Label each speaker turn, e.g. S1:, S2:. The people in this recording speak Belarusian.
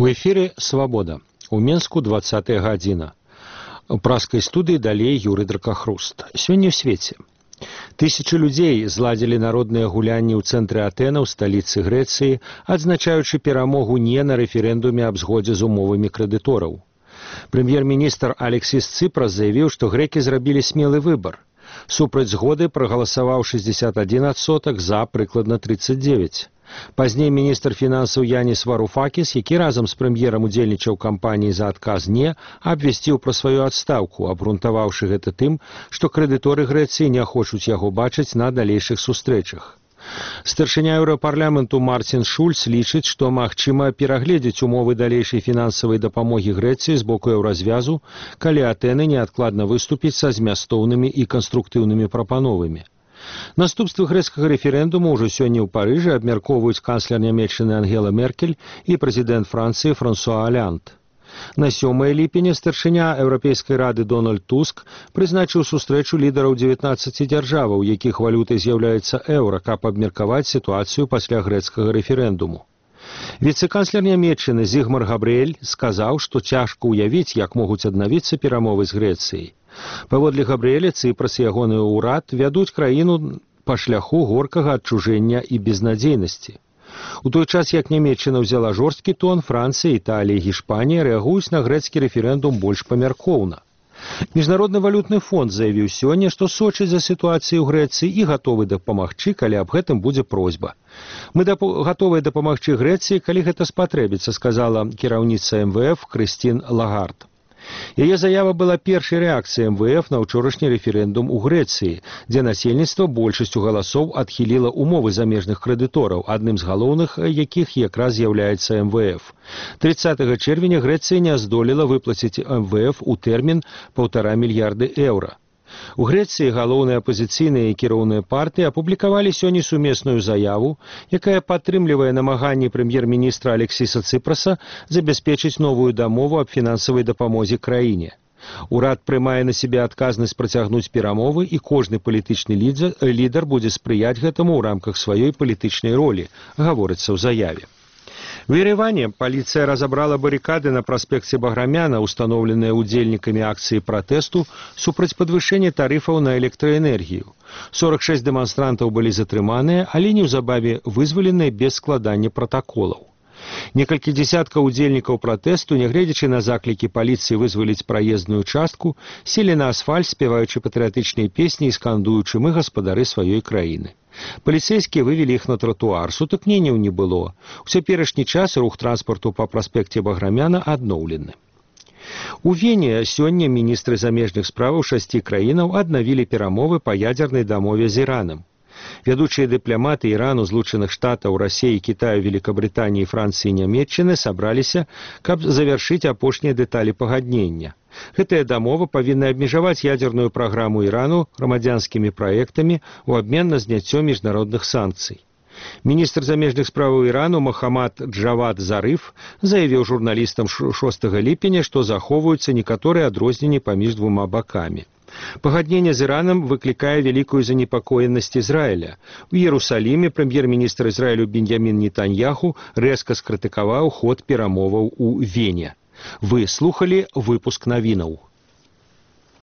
S1: У эфире «Свобода». У Менску 20-я гадзіна. У праскай студыі далей Юрый Дракахруст. Сёння ў свеце. Тысячы людзей зладзілі народныя гулянні ў цэнтры Атэна ў сталіцы Грэцыі, адзначаючы перамогу не на рэферэндуме аб згодзе з умовамі крэдытораў. Прэм'ер-міністр Алексіс Ципрас заявіў, што грэкі зрабілі смелы выбар. Супраць згоды прагаласаваў 61%, за прыкладна 39%. Пазней міністр фінансаў Янис Варуфакіс, які разам з прэм'ерам удзельнічаў кампаніі за адказ «не», абвясціў пра сваю адстаўку, абгрунтаваўшы гэта тым, што крэдыторы Грэцыі не хочуць яго бачыць на далейшых сустрэчах. Старшыня Еўрапарламенту Мартин Шульц лічыць, што магчыма перагледзець умовы далейшай фінансавай дапамогі Грэцыі з боку еўразвязу, калі Атэны неадкладна выступіць са змястоўнымі і канструктыўнымі прапановамі. Наступствы грэцкага рэферэндуму ўжо сёння ў Парыжы абмяркоўваюць канцлер нямецчыны Ангела Меркель і прэзідэнт Францыі Франсуа Аланд. На 7 ліпеня старшыня Еўрапейскай рады Дональд Туск прызначыў сустрэчу лідараў 19 дзяржаваў, якіх валютай з'яўляецца еўра, каб абмеркаваць сітуацыю пасля грэцкага рэферэндуму. Віцэ-канцлер нямецчыны Зігмар Габрыэль сказаў, што цяжка ўявіць, як могуць аднавіцца перамовы з Грэцыяй. Паводле Габрыэля, Ципрас і ягоны ўрад вядуць краіну па шляху горкага адчужэння і безнадзейнасці. У той час, як Нямецчына ўзяла жорсткі тон, Францыя, Італія і Гішпанія рэагуюць на грэцкі рэферэндум больш памяркоўна. Міжнародны валютны фонд заявіў сёння, што сочыць за сітуацыю ў Грэцыі і гатовы дапамагчы, калі аб гэтым будзе просьба. Мы гатовыя дапамагчы Грэцыі, калі гэта спатрэбіцца, сказала кіраўніца МВФ Крыстін Лагард. Яе заява была першай рэакцыяй МВФ на ўчорашні рэферэндум у Грэцыі, дзе насельніцтва большасцю галасоў адхіліла умовы замежных крэдытораў, адным з галоўных якіх якраз з'яўляецца МВФ. 30 чэрвеня Грэцыя не здолела выплаціць МВФ у тэрмін 1,5 мільярда еўра. У Грэцыі галоўныя апазіцыйныя і кіроўныя партыі апублікавалі сёння сумесную заяву, якая падтрымлівае намаганні прэм'ер-міністра Алексіса Ципраса забяспечыць новую дамову аб фінансавай дапамозе краіне. Урад прымае на сябе адказнасць працягнуць перамовы, і кожны палітычны лідар будзе спрыяць гэтаму ў рамках сваёй палітычнай ролі, гаворыцца ў заяве. В Ереване паліцыя разабрала барыкады на праспекце Баграмяна, установленыя удзельнікамі акцыі пратэсту супраць падвышэння тарыфаў на электраэнергію. 46 дэманстрантаў былі затрыманыя, але неўзабаве вызваленыя без складання пратаколаў. Некалькі дзесяткаў удзельнікаў пратэсту, нягледзячы на заклікі паліцыі вызваліць праездную частку, селі на асфальт, спяваючы патрыятычныя песні і скандуючы «Мы гаспадары сваёй краіны». Паліцэйскія вывелі іх на тратуар, сутыкненняў не было. У цяперашні час рух транспарту па праспекце Баграмяна адноўлены. У Вене сёння міністры замежных справаў 6 краінаў аднавілі перамовы па ядзернай дамове з Іранам. Вядучыя дыпламаты Ірану, Злучаных Штатаў, Расіі, Кітаю, Великабрытаніі, Францыі і Нямецчыны сабраліся, каб завяршыць апошнія дэталі пагаднення. Гэтая дамова павінна абмежаваць ядзерную праграму Ірану грамадзянскімі праектамі ў абмен на зняццё міжнародных санкцый. Міністр замежных справаў Ірану Мохаммад Джавад Зарыф заявіў журналістам 6 ліпеня, што захоўваюцца некаторыя адрозненні паміж двума бакамі. Пагадненне з Іранам выклікае вялікую занепакоенасць Ізраіля. У Іерусаліме прэм'ер-міністр Ізраілю Беньямін Нетаньяху рэзка скрытыкаваў ход перамоваў у Вене. Вы слухалі выпуск навінаў.